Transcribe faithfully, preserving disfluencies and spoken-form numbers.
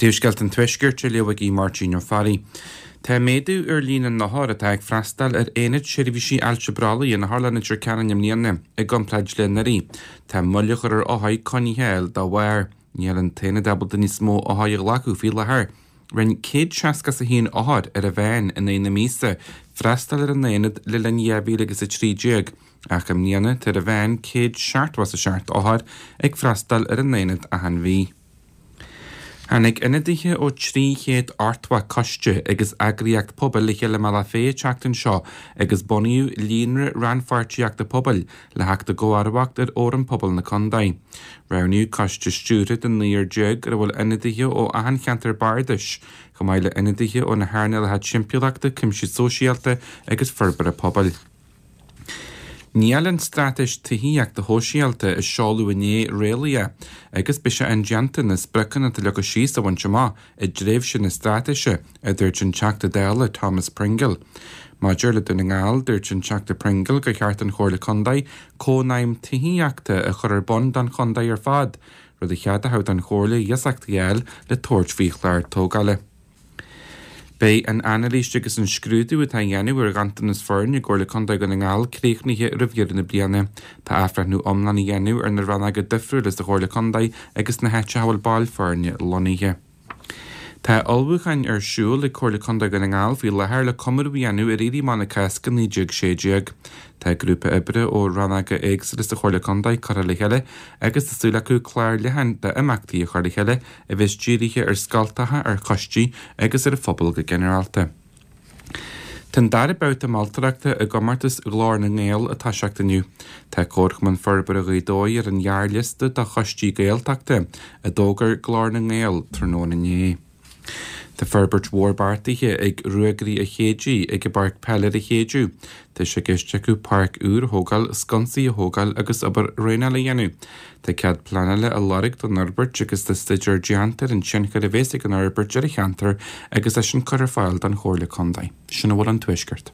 Príomhscéalta an Tuaiscirt á léamh ag Máirtín Ó Fearraigh. Tá méadú ar líon na n-othar atá ag freastal ar Aonad Seirbhísí Ailse Brollaigh in Otharlann Leitir Ceanainn i mbliana i gcomparáid le anuraidh. Tá moill a chur ar othair coinne a fháil dá bharr. Níl an t-aonad ábalta níos mó othair a ghlacadh faoi láthair. Rinne céad seasca is a haon othar ar an mheán in aghaidh na míosa freastal ar an aonad le linn dhá mhíle agus a trí déag, ach i mbliana tá ar an mheán céad seachtó is a seacht othar ag freastal ar an aonad achan mhí. Tháinig ionadaithe ó trí chéad ochtó coiste agus eagraíocht pobail le chéile i mBealach Féich an tseachtain seo agus bunaíodh líonra rannpháirtíochta pobail le theacht i gcomharbacht ar Fhóram Pobail na Condae. Roghnaíodh coiste stiúrtha de naonúr déag ar a bhfuil ionadaithe ó achan cheantar bardais, chomh maith le ionadaithe ó na hearnálacha timpeallachta, cuimsiú sóisialta agus forbartha pobail. Níl an straitéis tithíochta shóisialta a seoladh inné réalaíoch agus beidh sé indéanta na spriocanna atá leagtha síos a bhaint amach i dtréimhse na straitéise, a dúirt an Teachta Dála Thomas Pringle. Maidir le Dún na nGall, dúirt an Teachta Pringle gur cheart don Chomhairle Contae cónaidhm tithíochta a chur ar bun don chontae ar fad, rud a cheadódh don Chomhairle iasacht a fháil le tabhairt faoi chlár tógála. Beidh an anailís agus an scrúdú atá á dhéanamh ar ghanntanas foirne i gComhairle Contae Dhún na nGall críochnaithe roimh dheireadh na bliana. Tá athbhreithniú iomlán á dhéanamh ar na rannóga difriúla sa Chomhairle Contae agus na háiteacha a bhfuil baill foirne lonnaithe. Tá ullmhúcháin ar siúl ag Comhairle Contae Dhún na nGall faoi láthair le comóradh a dhéanamh ar Éirí Amach na Cásca naoi déag sé déag. Tá grúpa oibre ó rannóga éagsúla sa Chomhairle Contae curtha le chéile agus tá súil acu clár leathan d'imeachtaí a chur le chéile a bheas dírithe ar scoltacha, ar choistí agus ar an phobal go ginearálta. Tá an dara babhta moltóireachta i gcomórtas Ghlór na nGael ag toiseacht inniu. Tá Comharchumann Forbartha Ghaoth Dobhair ar an ghearrliosta do choistí Gaeltachta, a d'fhógair Glór na nGael tráthnóna inné. Tá forbairt mhór beartaithe ag Ruagairí an Chéididh ag an bPáirc Peile ar an Chéideadh. Tá sé i gceist acu páirc úr a thógáil, sconsaí a thógáil agus obair dhraenála a dhéanamh. Tá cead pleanála á lorg don fhorbairt agus tá staidéar déanta ar an tionchar a bheas ag an fhorbairt ar an cheantar agus é sin curtha ar fáil don Chomhairle Contae. Sin a bhfuil ón Tuaisceart.